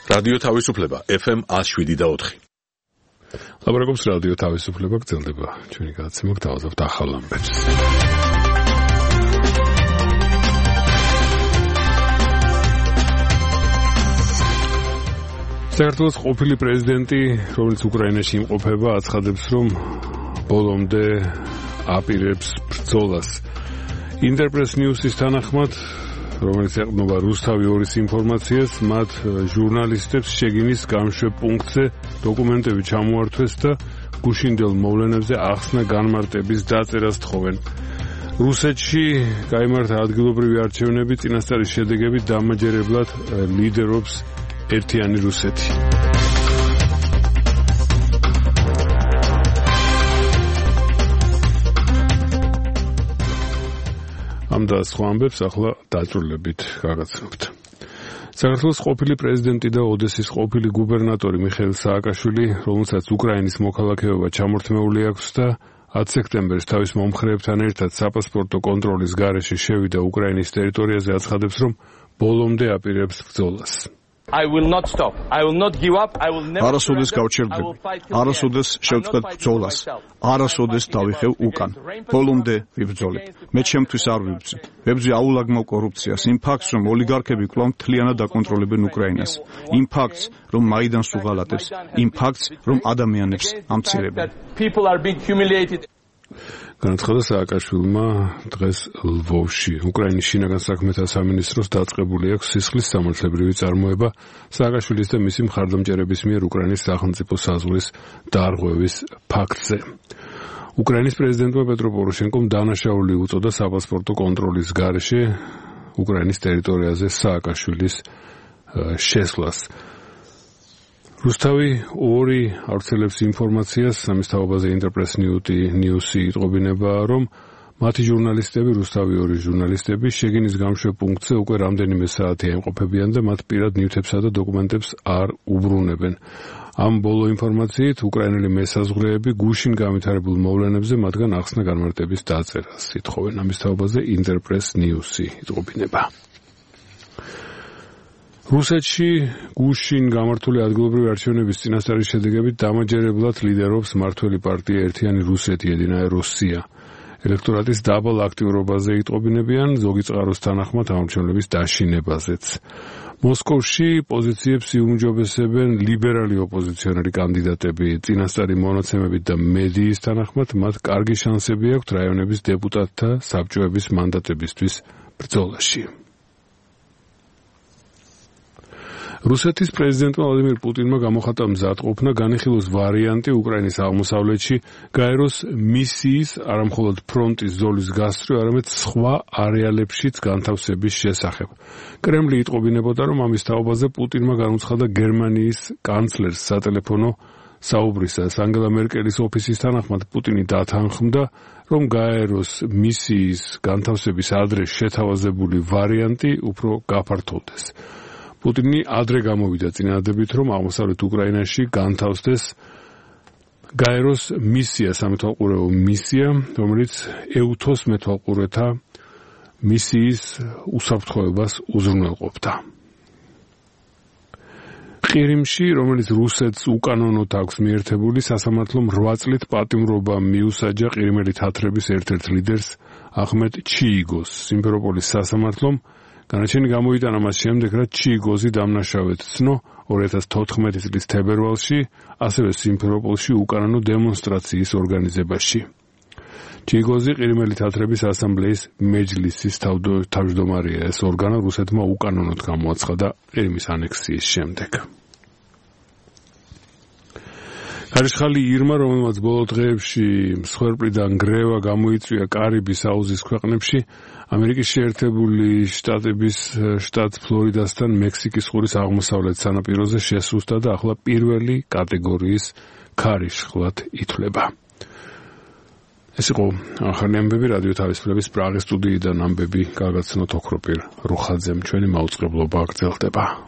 რადიო თავისუფლება FM 107.4. ლაბორატორიის რადიო თავისუფლება გრძელდება. ჩვენი გადაცემა გთავაზობთ ახალ ამბებს. საქართველოს ყოფილი პრეზიდენტი, რომელიც უკრაინაში იმყოფება, აცხადებს, რომ ბოლომდე აპირებს ბრძოლას. ინტერპრეს ნიუსის თანახმად, რომელიც ეყრდნობა რუსთავი 2-ის ინფორმაციას, მათ ჟურნალისტებს შეგინის გამშვებ პუნქტზე დოკუმენტები ჩამოართვეს და გუშინდელ მოვლენებზე ახსნა განმარტების დაწერას თხოვენ. რუსეთში გაიმართა ადგილობრივი არჩევნები, წინასწარი შედეგებით დამაჯერებლად ლიდერობს ერთიანი რუსეთი. ამ და სხვა ამბებს ახლა დაწვრილებით გაგაცნობთ. საქართველოს ყოფილი პრეზიდენტი და ოდესის ყოფილი გუბერნატორი მიხეილ სააკაშვილი, რომელსაც უკრაინის მოქალაქეობა ჩამორთმეული აქვს და 10 სექტემბერს თავის მომხრეებთან ერთად საპასპორტო კონტროლის გარეშე შევიდა უკრაინის ტერიტორიაზე, აცხადებს, რომ ბოლომდე აპირებს ბრძოლას. I will not stop. I will not give up. I will never. არასოდეს გავჩერდები. არასოდეს შევწყვეტ ბრძოლას. არასოდეს დავიხევ უკან. ბოლომდე ვიბრძოლებ. მე ჩემთვის არ ვიბრძი. ვებრძი აულაგმო კორუფციას, იმ ფაქტს, რომ ოლიგარქები კვლავ მთლიანად დაკონტროლებენ უკრაინას. იმ ფაქტს, რომ მაიდანს უღალატებს. იმ ფაქტს, რომ ადამიანებს ამცირებენ. People are being humiliated. განაცხადა სააკაშვილმა დღეს ლვოვში. უკრაინის შინაგან საქმეთა სამინისტროს დაწყებული აქვს სისხლის სამართლებრივი წარმოება სააკაშვილის და მისი მხარდამჭერების მიერ უკრაინის სახელმწიფო საზღვრის დარღვევის ფაქტზე. უკრაინის პრეზიდენტმა პეტრო პოროშენკომ დანაშაული უწოდა საპასპორტო კონტროლის გარეშე უკრაინის ტერიტორიაზე სააკაშვილის შესვლას. რუსთავი 2 ავრცელებს ინფორმაციას, ამის თაობაზე ინტერპრეს ნიუსი იტყობინება, რომ მათი ჟურნალისტები, რუსთავი 2 ჟურნალისტები შეგინის გამშვებ პუნქტზე უკვე რამდენიმე საათია იმყოფებიან და მათ პირად ნივთებსა და დოკუმენტებს არ უბრუნებენ. ამ ბოლო ინფორმაციით უკრაინელი მესაზღვრეები გუშინ განვითარებულ მოვლენებზე მათგან ახსნა განმარტების დაწერას ითხოვენ. ამის თაობაზე ინტერპრეს ნიუსი იტყობინება. რუსეთში გუშინ გამართული ადგილობრივი არჩევნების წინასწარი შედეგებით დამაჯერებლად ლიდერობს მმართველი პარტია ერთიანი რუსეთი Единая Россия. ელექტორატის დაბალ აქტიურობაზე იტყობინებიან, ზოგი წყაროს თანახმად არჩევნების დაშინებაზეც. მოსკოვში პოზიციებს იუმჯობესებენ ლიბერალი ოპოზიციონერი კანდიდატები, წინასწარი მონაცემებით და მედიის თანახმად მათ კარგი შანსები აქვთ რაიონების დეპუტატთა საბჭოების მანდატებისთვის ბრძოლაში. რუსეთის პრეზიდენტმა ვლადიმირ პუტინმა გამოხატა მზადყოფნა განიხილოს ვარიანტი უკრაინის აღმოსავლეთში გაეროს მისიის არამხოლოდ ფრონტის ზოლის გასწვრივ, არამედ სხვა არეალებშიც განთავსების შესახებ. კრემლი იტყობინებოდა, რომ ამის თაობაზე პუტინმა განუცხადა გერმანიის კანცლერს სატელეფონო საუბრისას. ანგელა მერკელის ოფისის თანახმად პუტინი დათანხმდა, რომ გაეროს მისიის განთავსების ადრე შეთავაზებული ვარიანტი უფრო გაფართოვდეს. პუტინი ადრე გამოვიდა წინადადებით, რომ აღმოსავლეთ უკრაინაში განთავსდეს გაეროს მისია, სამეთვალყურეო მისია, რომელიც ეუთოს მეთვალყურეთა მისიის უსაფრთხოებას უზრუნველყოფდა. ყირიმში, რომელიც რუსეთს უკანონოდ აქვს მიერთებული, სასამართლომ 8 წლით პატიმრობა მიუსაჯა ყირიმელი თათრების ერთ-ერთ ლიდერს ახმედ ჩიიგოს. სიმფეროპოლის სასამართლომ განაჩენი გამოიტანა მას შემდეგ, რაც ჩიიგოზი დამნაშავედ ცნო 2014 წლის თებერვალში, ასევე სიმფეროპოლში უკანონო დემონსტრაციის ორგანიზებაში. ჩიიგოზი ყირიმელი თათრების ასამბლეის მეჯლისის თავმჯდომარეა. ეს ორგანო რუსეთმა უკანონოდ გამოაცხადა ყირიმის ანექსიის შემდეგ. ქარიშხალი ირმა, რომელმაც ბოლო დღეებში მსხვერპლიდან გრევა გამოიწვია კარიბის აუზის ქვეყნებში, ამერიკის შეერთებული შტატების შტატ ფლორიდასთან მექსიკის ყურის აღმოსავლეთ სანაპიროზე შესუსტა და ახლა პირველი კატეგორიის ქარიშხლად ითვლება. ეს იყო ახალი ამბები რადიო თავისუფლების პრაღის სტუდიიდან ამბები გაგაცნოთ ოქროპირ რუხაძემ. ჩვენი მაუწყებლობა გრძელდება.